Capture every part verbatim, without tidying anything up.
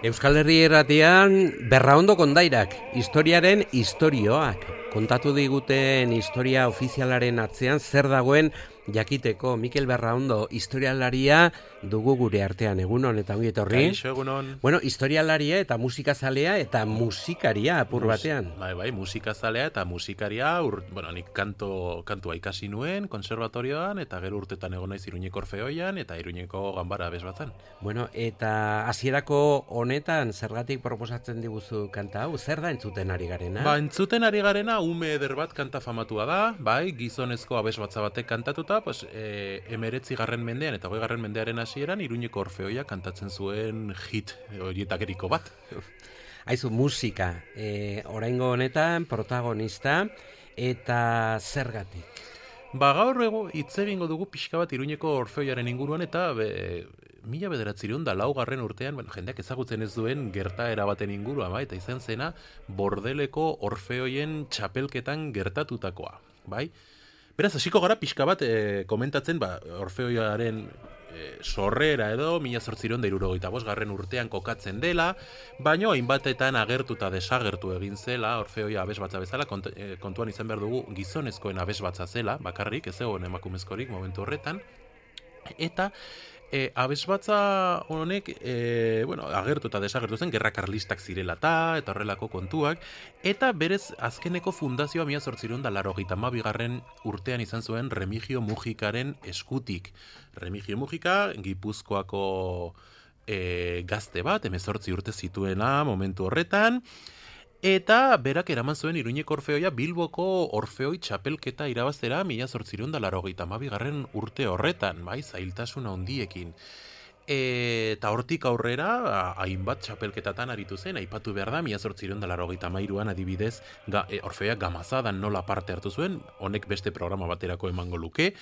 Euskal Herri Irratian Berraondo kondairak, historiaren istorioak. Kontatu diguten historia ofizialaren atzean zer dagoen jakiteko. Mikel Berraondo, historialaria dugu gure artean. Egunon eta ongi etorri. Kaixo, egunon. Bueno, historialaria eta musikazalea eta musikaria apur batean. Bai, bai, musikazalea eta musikaria, ur, bueno, nik kanto, kantua ikasi nuen, konservatorioan, eta gero urtetan egon naiz Iruñeko Orfeoian, eta Iruñeko Ganbara bezbatzen. Bueno, eta hasierako honetan zergatik proposatzen diguzu kanta hau? Zer da entzuten ari garena? Ba, entzuten ari garena ume eder bat kanta famatua da, bai, gizonezko abesbatza batek kantatuta, pues, e, emeretzi garren mendean eta hogei garren mendearen hasieran Iruñeko Orfeoia kantatzen zuen hit horietakeriko bat. Aizu, musika, e, oraingo honetan protagonista eta zergatik? Ba, gaur ego hitz egingo dugu pixka bat Iruñeko Orfeoiaren inguruan eta be, mila bederatziehun da laugarren urtean, bueno, jendeak ezagutzen ez duen gertaera baten ingurua, bai, eta izan zena Bordeleko Orfeoien txapelketan gertatutakoa, bai? Beraz, hasiko gara pixka bat e, komentatzen, ba, Orfeoiaren e, sorrera edo mila zortziehun eta hirurogeita bost garren urtean kokatzen dela, baino hainbatetan agertuta desagertu egin zela Orfeoia abesbatza bezala, kont, e, kontuan izan behar dugu gizonezkoen abesbatza zela, bakarrik, ez egon emakumezkorik momentu horretan, eta E, abesbatza honek, e, bueno, agertu eta desagertu zen, gerra karlistak zirela ta, eta horrelako kontuak, eta berez azkeneko fundazioa mila zortziehun eta laurogeita hamabigarren urtean izan zuen Remigio Mujikaren eskutik. Remigio Mujika, Gipuzkoako e, gazte bat, hemezortzi urte zituena momentu horretan, eta berak eraman zuen Iruñeko Orfeoia Bilboko Orfeoi txapelketa irabaztera mila zortziehun eta laurogeita hamabigarren urte horretan, bai, zailtasun handiekin. E, eta hortik aurrera, hainbat txapelketatan aritu zen, aipatu behar da, mila zortziehun eta laurogeita hamairuan adibidez, ga, e, Orfeoia Gamazadan nola parte hartu zuen, honek beste programa baterako emango luke,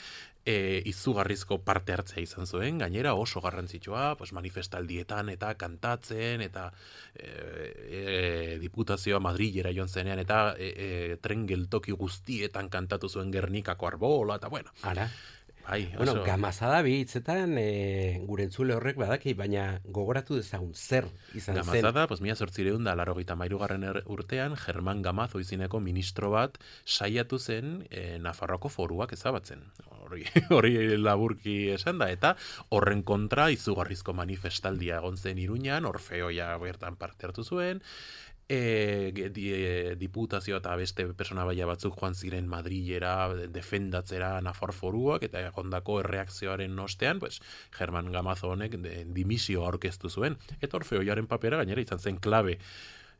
e, izugarrizko parte hartzea izan zuen, gainera oso garrantzitsua, pues, manifestaldietan eta kantatzen, eta e, e, diputazioa Madrilera joan zenean, eta e, e, tren geltoki guztietan kantatu zuen Gernikako arbola, eta bueno. Ara. Bai, bueno, oso... Gamazada bi hitzetan e, gure entzule horrek badaki, baina gogoratu dezagun zer izan Gamazada, zen. Gamazada, pues, mila zortziehun eta laurogeita hamairugarren urtean German Gamazo izeneko ministro bat saiatu zen e, Nafarroako foruak ezabatzen. Hori, hori laburki esan da, eta horren kontra izugarrizko manifestaldia egon zen Iruñan, Orfeoia bertan parte hartu zuen, E, di, e, diputazio eta beste persona baia batzuk joan ziren Madrilera defendatzera Nafar foruak eta egondako erreakzioaren ostean, pues, German Gamazo honek de, dimisio aurkeztu zuen. Eta Orfeoiaren papera gainera izan zen klabe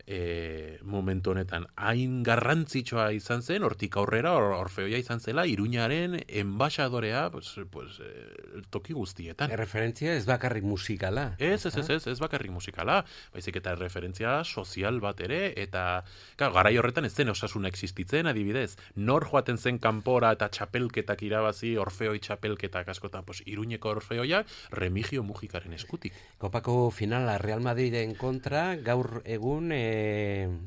e, momentu honetan. Hain garrantzitsua izan zen, hortik aurrera or, Orfeoia izan zela Iruñaren enbaxadorea pues, pues, e, toki guztietan. Erreferentzia ez bakarrik musikala. Ez, ez, ez, ez, ez bakarrik musikala, baizik eta referentzia sozial bat ere, eta claro, garai horretan ez zen osasuna existitzen, adibidez, nor joaten zen kanpora eta txapelketak irabazi, Orfeoi txapelketak askotan, pues, Iruñeko Orfeoia Remigio Mujikaren eskutik. Kopako finala Real Madriden kontra, gaur egun e,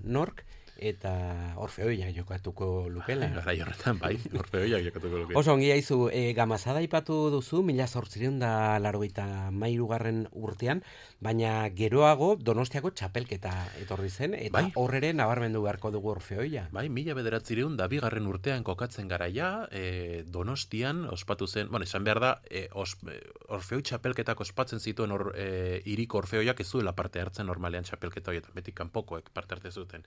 nork, eta Orfeoia jokatuko lukela. Garai horretan, bai, Orfeoia jokatuko lukela. Oso ongi aizu, e, Gamazada ipatu duzu, mila zortziehun eta laurogeita hamairugarren urtean, baina geroago Donostiako txapelketa etorri zen, eta bai, horrere nabarmendu beharko dugu Orfeoia. Bai, mila bederatziehun eta bigarren urtean kokatzen garaia, e, Donostian ospatu zen, bueno, esan behar da, e, os, e, Orfeoi txapelketak ospatzen zituen or, e, iriko Orfeoiak ez zuela parte hartzen normalean txapelketa horietan, beti kanpokoek parte hartzen zuten.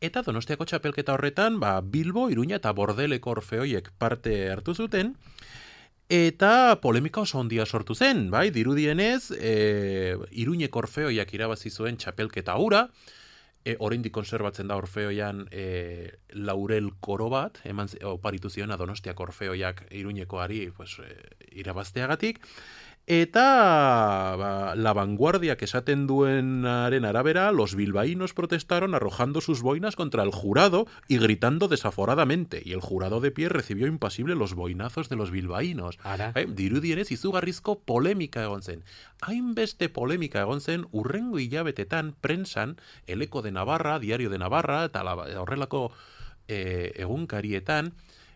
Eta Donostiako txapelketa horretan, ba, Bilbo, Iruña eta Bordeleko Orfeoiek parte hartu zuten, eta polemika oso handia sortu zen, bai, dirudienez, e, Iruñeko Orfeoiak irabazi zuen txapelketa hura, E, oraindik konserbatzen da Orfeoian e, laurel koro bat, eman oparitu ziona Donostiako Orfeoiak Iruñekoari pues, e, irabazteagatik, eta ba, la vanguardiak esaten duenaren arabera, los bilbaínos protestaron arrojando sus boinas contra el jurado y gritando desaforadamente, y el jurado de pie recibió impasible los boinazos de los bilbaínos. Eh, dirudienez izugarrizko polemika egon zen. Hainbeste polemika egon zen urrengo hilabetetan prensan, El Eco de Navarra, Diario de Navarra, eta horrelako eh, egunkarietan,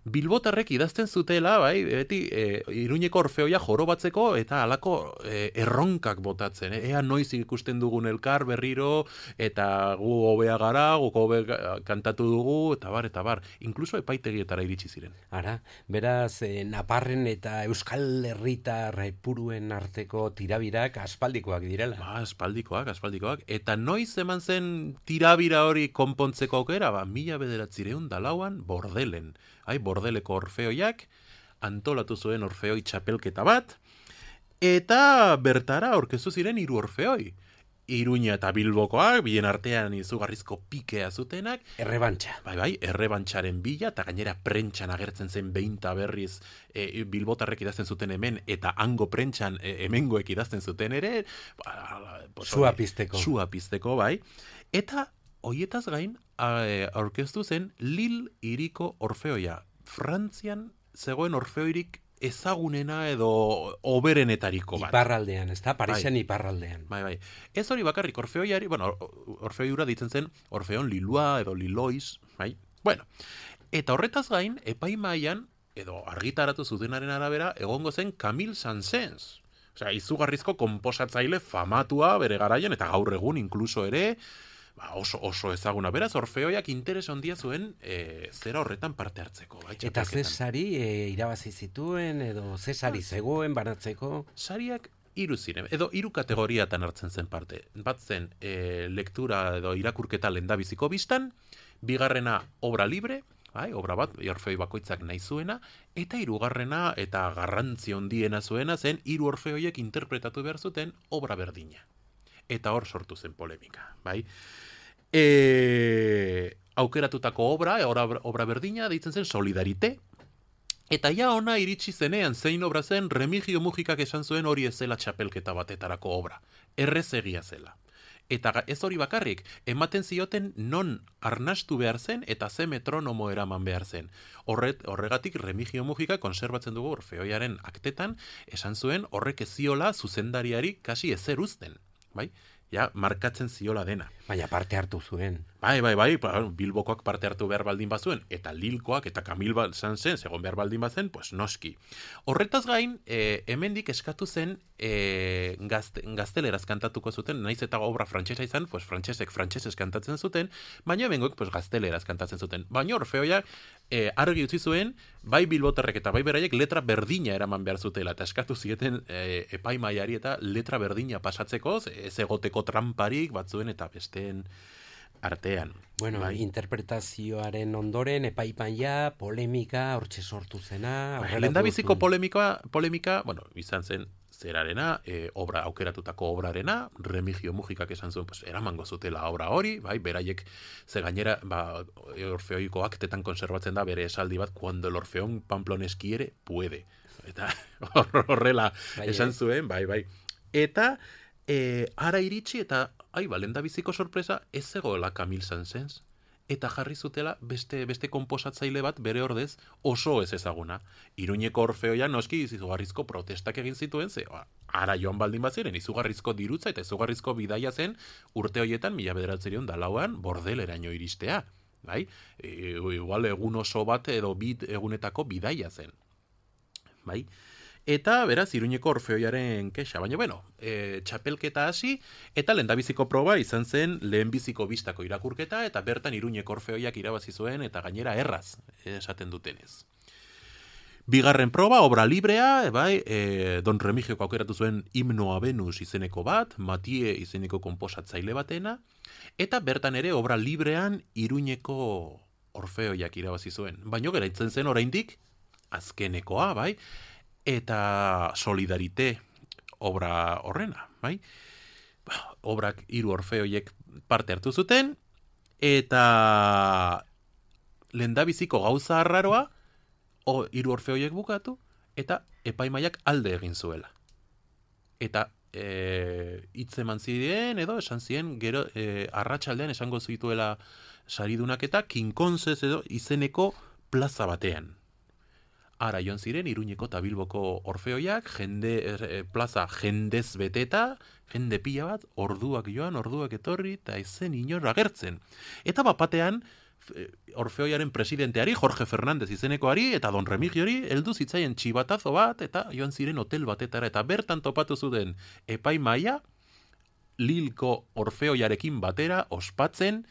Bilbotarrek idazten zutela, bai, beti e, Iruñeko Orfeoia jorobatzeko eta halako e, erronkak botatzen. E, ea noiz ikusten dugun elkar berriro, eta gu hobea gara, gu hobe kantatu dugu, eta bar, eta bar. Inkluso epaitegietara iritsi ziren. Ara, beraz, e, Naparren eta Euskal Herritar puruen arteko tirabirak aspaldikoak direla. Ba, aspaldikoak, aspaldikoak. Eta noiz eman zen tirabira hori konpontzeko aukera, ba, mila bederatzireun da lauan Bordelen. Hai, Bordeleko Orfeoiak antolatu zuen Orfeoi txapelketa bat, eta bertara aurkeztu ziren hiru Orfeoi. Iruña eta Bilbokoak, bien artean izugarrizko pikea zutenak. Errebantxa. Bai, bai, errebantxaren bila, eta gainera prentxan agertzen zen behinta berriz e, Bilbotarrek idazten zuten hemen, eta hango prentxan e, hemengoek idazten zuten ere. Ba, Sua pizteko. Sua pizteko, bai. Eta hoietaz gain, aurkeztu zen Lille hiriko Orfeoia. Frantzian zegoen Orfeoirik ezagunena edo oberenetariko bat. Iparraldean, ez da? Parisen bai. Iparraldean. Bai, bai. Ez hori bakarrik Orfeoiari, bueno, Orfeoiura ditzen zen Orfeon Lilua edo Lilois, bai? Bueno, eta horretaz gain, epaimaian, edo argitaratu zutenaren arabera, egongo zen Camille Saint-Saëns. Osea, izugarrizko konposatzaile famatua bere garaian, eta gaur egun inkluso ere, Ba, oso, oso ezaguna. Beraz, Orfeoiak interes handia zuen e, zera horretan parte hartzeko. Bai, eta ze sari e, irabazi zituen, edo ze sari zegoen banatzeko? Sariak hiru ziren, edo hiru kategoriatan hartzen zen parte. Bat zen e, lektura edo irakurketa lehendabiziko bistan, bigarrena obra libre, bai, obra bat, Orfeoi bakoitzak nahi zuena, eta hirugarrena eta garrantzi handiena zuena zen hiru Orfeoiek interpretatu behar zuten obra berdina. Eta hor sortu zen polemika, bai? E, aukeratutako obra, obra, obra berdina, deitzen zen Solidarite, eta ja ona iritsi zenean zein obra zen Remigio Mujikak esan zuen hori ez zela txapelketa batetarako obra, errez egia zela. Eta ez hori bakarrik, ematen zioten non arnastu behar zen eta ze metronomo eraman behar zen. Horret, horregatik Remigio Mujika konserbatzen dugu Orfeoiaren aktetan, esan zuen horrek ez ziola zuzendariari kasi ezer uzten, bai? Ja, markatzen ziola dena. Baina parte hartu zuen. Bai, bai, bai, Bilbokoak parte hartu behar baldin bazuen, eta Lilkoak eta Camille Saint-Saëns egon behar baldin bazen, pues noski. Horretaz gain, e, hemendik eskatu zen e, gazte, gazteleraz kantatuko zuten, naiz eta obra frantsesa izan, pues frantsesek frantsesez kantatzen zuten, baina hemengoek pues gazteleraz kantatzen zuten. Baina Orfeoia e, argi utzi zuen, bai Bilbotarrek eta bai beraiek letra berdina eraman behar zutela, eta eskatu zieten e, epaimaiari eta letra berdina pasatzeko, ez egoteko tramparik batzuen eta besteen artean. Bueno, bai. Interpretazioaren ondoren epaimaia, polemika, hortxe sortu zena. Bai, lehendabiziko polemika, polemika, bueno, izan zen zerarena, e, obra aukeratutako obrarena, Remigio Mujikak esan zuen, pues, eramango zutela obra hori, bai, beraiek ze gainera, ba, Orfeoiko aktetan konserbatzen da bere esaldi bat, cuando el Orfeón Pamplones quiere, puede. Eta horrela bai, esan zuen, bai, bai. Eta e, ara iritsi eta ai, ba, lehendabiziko sorpresa ez zegoela Camille Saint-Saëns. Eta jarri zutela beste beste konposatzaile bat bere ordez oso ez ezaguna. Iruñeko Orfeoia noski izugarrizko protestak egin zituen, ze ara joan baldin bat ziren, izugarrizko dirutza eta izugarrizko bidaia zen urte horietan mila bederatziehun eta lauan Bordeleraino iristea. Bai? E, igual egun oso bat edo bit egunetako bidaia zen. Bai? Eta, beraz, Iruñeko Orfeoiaren kexa. Baina, bueno, e, txapelketa hasi, eta lehendabiziko proba izan zen lehenbiziko bistako irakurketa, eta bertan Iruñeko Orfeoiak irabazi zuen, eta gainera erraz esaten dutenez. Bigarren proba, obra librea, bai, e, Don Remigiok aukeratu zuen Himno a Venus izeneko bat, Matie izeneko konposatzaile batena, eta bertan ere obra librean Iruñeko Orfeoiak irabazi zuen. Baina geraitzen zen oraindik azkenekoa, bai, eta Solidarite obra horrena, bai? Obrak hiru Orfeoiek parte hartu zuten, eta lehendabiziko gauza arraroa, o, hiru orfeoiek bukatu, eta epaimaiak alde egin zuela. Eta e, hitz eman ziren, edo esan ziren, gero e, arratsaldean esango zituela saridunak eta kinkonzez edo izeneko plaza batean. Ara joan ziren, Iruñeko eta Bilboko orfeoiak, jende, e, plaza jendez beteta, jende pila bat, orduak joan, orduak etorri, eta ezen inor agertzen. Eta bapatean, orfeoiaren presidenteari, Jorge Fernández izenekoari, eta Don Remigiori, heldu zitzaien txibatazo bat, eta joan ziren hotel batetara, eta bertan topatu zuten epaimaia, Lilko orfeoiarekin batera, ospatzen,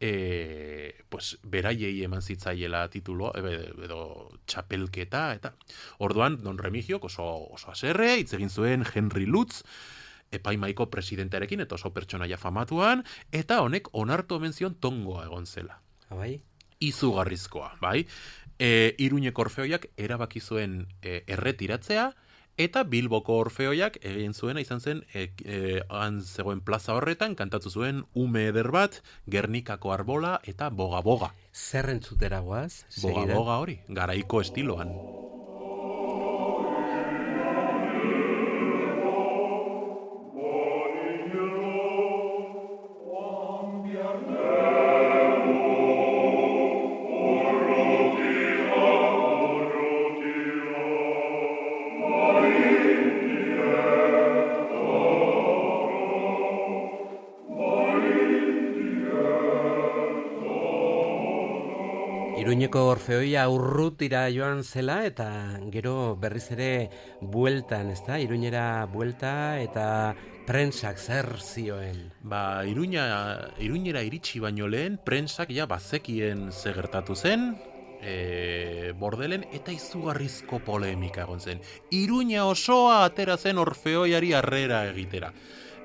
E, pues, beraiei eman zitzaiela titulo, edo txapelketa, eta orduan Don Remigio oso, oso aserre, hitz egin zuen Henry Lutz, epaimaiko presidentearekin, eta oso pertsonaia famatuan, eta honek onartu omen zion tongoa egon zela. Bai? Izugarrizkoa, bai? E, Iruñeko orfeoiak erabaki zuen e, erretiratzea, eta Bilboko orfeoiak egin zuena izan zen, e, e, han zegoen plaza horretan, kantatu zuen ume eder bat, Gernikako arbola eta boga-boga. Zer entzutera goaz? Boga-boga hori, garaiko estiloan. Iruñeko orfeoia urrutira joan zela eta gero berriz ere bueltan, ezta? Iruñera buelta eta prentsak zer zioen. Ba, Iruña, Iruñera iritsi baino lehen, prentsak ja bazekien ze gertatu zen, e, bordelen, eta izugarrizko polemika egon zen. Iruña osoa atera zen orfeoiari harrera egitera.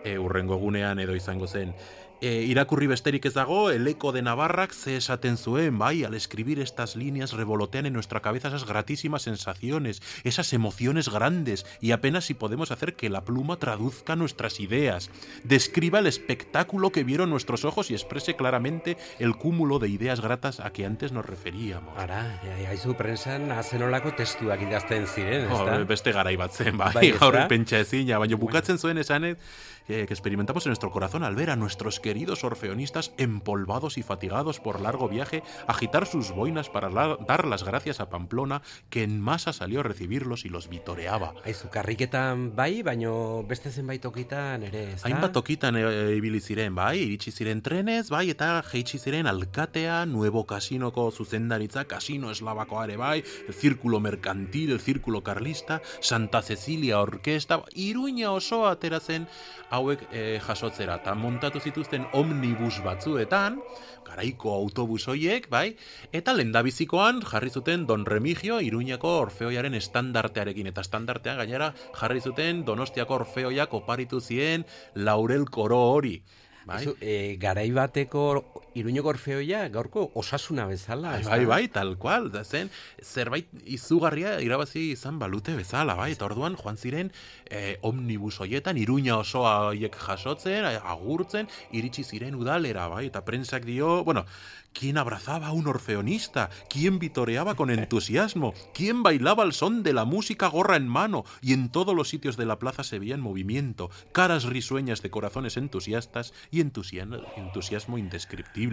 E, urrengo gunean edo izango zen. E, irakurri besterik ez dago, el eco de Navarrak ze esaten zuen, bai, al escribir estas líneas revolotean en nuestra cabeza esas gratísimas sensaciones, esas emociones grandes, y apenas si podemos hacer que la pluma traduzca nuestras ideas, describa el espectáculo que vieron nuestros ojos y exprese claramente el cúmulo de ideas gratas a que antes nos referíamos. Ara, haizu prensan azenolako testuak idazten ziren, ez da? Oh, beste garai bat zen, bai, bai gaur pentsa ezina, baina bukatzen zuen esanet, que experimentamos en nuestro corazón al ver a nuestros queridos orfeonistas empolvados y fatigados por largo viaje agitar sus boinas para la, dar las gracias a Pamplona, que en masa salió a recibirlos y los vitoreaba. Aizu, karriketan bai, baino beste zenbait tokitan ere, ez da? Hainbat tokitan e, ibili ziren, bai, iritsi ziren trenez, bai, eta jeitsi ziren alkatea, Nuevo Casinoko zuzendaritza, Casino Eslabakoa ere, bai, el Círculo Mercantil, el Círculo Carlista, Santa Cecilia Orkesta, Iruña osoa atera zen hauek e, jasotzera, eta montatu zituzten omnibus batzuetan, garaiko autobus hoiek, bai, eta lehendabizikoan jarri zuten Don Remigio Iruñako orfeoiaren estandartearekin, eta estandartean gainera jarri zuten Donostiako orfeoiak oparitu zien Laurel Koro hori. Bai? Ezu, e, garai bateko Iruñeko orfeoia gaurko osasuna bezala. Bai, bai, bai, tal cual, da zen, zerbait izugarria irabazi izan balute bezala, bai, eta orduan joan ziren eh, omnibus hoietan, Iruña osoa hoiek jasotzen, agurtzen, iritsi ziren udalera, bai, eta prensak dio, bueno, ¿quién abrazaba a un orfeonista? ¿Quién vitoreaba con entusiasmo? ¿Quién bailaba al son de la música gorra en mano? Y en todos los sitios de la plaza se veía en movimiento, caras risueñas de corazones entusiastas y entusiasmo, entusiasmo indescriptible.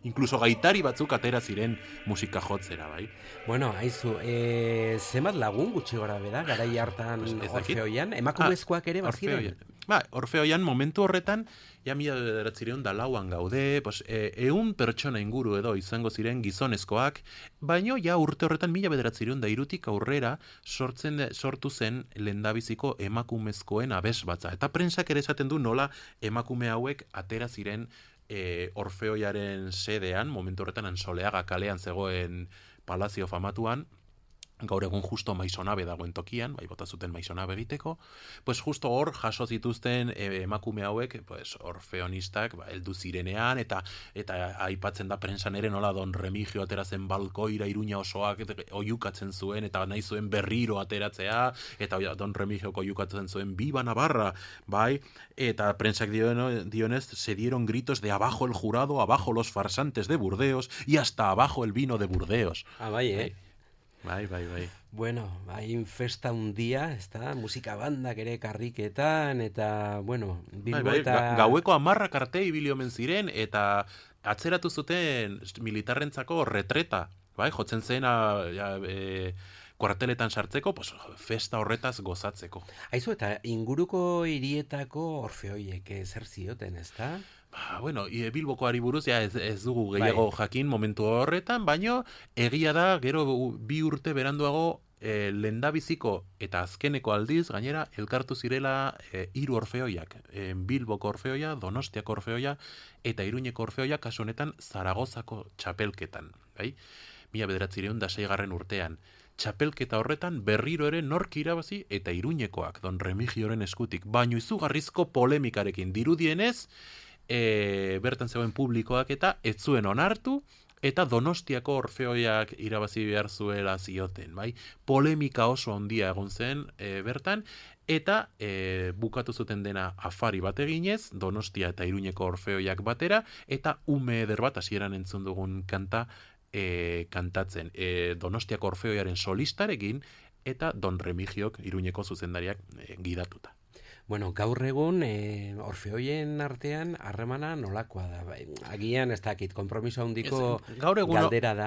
Incluso gaitari batzuk atera ziren musika jotzera, bai? Bueno, haizu, e, zenbat lagun gutxi gora bera, garai hartan pues orfeoian, emakumezkoak ere baziren? Ba, orfeoian momentu horretan, ja mila bederatzireun da lauan gaude, pues, e, eun pertsona inguru edo izango ziren gizonezkoak, baino ja urte horretan mila bederatzireun da irutik aurrera sortzen sortu zen lehendabiziko emakumezkoen abesbatza. Eta prentsak ere esaten du nola emakume hauek atera ziren e, orfeoiaren sedean, momentu horretan Ansoleaga kalean zegoen palazio famatuan, gaur egun justo maisonabe dagoen tokian, bai bota zuten maisonabe egiteko, pues justo hor jaso zituzten e, emakume hauek, pues orfeonistak, ba, heldu zirenean, eta eta aipatzen da prensan ere nola Don Remigio atera zen balkoira Iruña osoak oihukatzen zuen, eta nahi zuen berriro ateratzea, eta Don Remigiok oihukatzen zuen Viva Navarra, bai, eta prensak dioen, dionez, se dieron gritos de abajo el jurado, abajo los farsantes de Burdeos, y hasta abajo el vino de Burdeos. Ah, bai, eh? Bai, bai, bai. Bueno, hain festa un dia, ezta, musika bandak ere karriketan, eta, bueno, Bilbo bai, bai, eta... ga, gaueko amarrak arte ibili omen ziren, eta atzeratu zuten militarrentzako retreta, bai, jotzen zen, a, ja, e, kuarteletan sartzeko, pues, festa horretaz gozatzeko. Aizu, eta inguruko hirietako orfeoiek zer zioten, ezta? Ba, bueno, e, Bilbokoari buruz ja ez, ez dugu gehiago bai. jakin momentu horretan, baino egia da gero bi urte beranduago e, lendabiziko eta azkeneko aldiz gainera elkartu zirela e, hiru orfeoiak, e, Bilboko orfeoia, Donostiako orfeoia eta Iruñeko orfeoia, kasu honetan Zaragozako txapelketan, bai? Mila bederatziehun eta seigarren urtean. Txapelketa horretan berriro ere nork irabazi eta Iruñekoak Don Remigioren eskutik, baino izugarrizko polemikarekin dirudienez, E, bertan zegoen publikoak eta ez zuen onartu eta Donostiako orfeoiak irabazi behar zuela zioten, bai? Polemika oso handia egon zen e, bertan, eta e, bukatu zuten dena afari bat eginez, Donostia eta Iruñeko orfeoiak batera, eta ume eder bat hasieran entzun dugun kanta e, kantatzen. E, Donostiako orfeoiaren solistarekin eta Don Remigiok Iruñeko zuzendariak e, gidatuta. Bueno, gaur egun e, orfeoien artean harremana nolakoa da. Bai, agian ez dakit, konpromiso handiko gaur egun galdera da.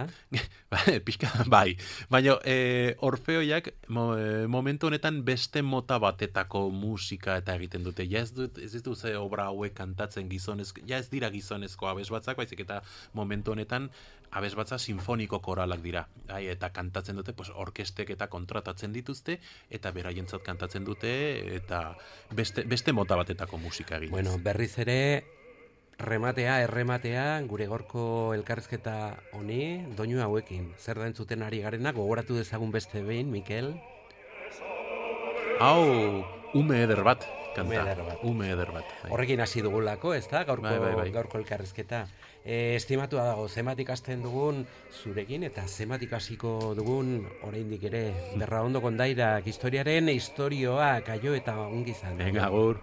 Pixka, bai, baina e, orfeoiak mo, e, momentu honetan beste mota batetako musika eta egiten dute. Ja ez dut, ez dut ze obra hauek kantatzen gizonezko, ja ez dira gizonezko abesbatzak, baizik eta momentu honetan abesbatza sinfoniko koralak dira. Ai, eta kantatzen dute, pues, orkestek eta kontratatzen dituzte, eta beraientzat kantatzen dute, eta beste, beste mota batetako musika eginez. Bueno, berriz ere, rematea, errematea, gure gorko elkarrizketa honi, doinu hauekin. Zer da entzuten ari garena, gogoratu dezagun beste behin, Mikel? Hau, ume eder bat, kanta. Ume eder bat. Ume eder bat. Bai. Horrekin hasi dugulako, ez da, gaurko, bai, bai, bai. gaurko elkarrizketa. E, estimatua dago, zenbat ikasten dugun zurekin, eta zenbat ikasiko dugun oraindik ere Berraondo kondairak historiaren istorioa kaio eta ongizan. Venga, agur.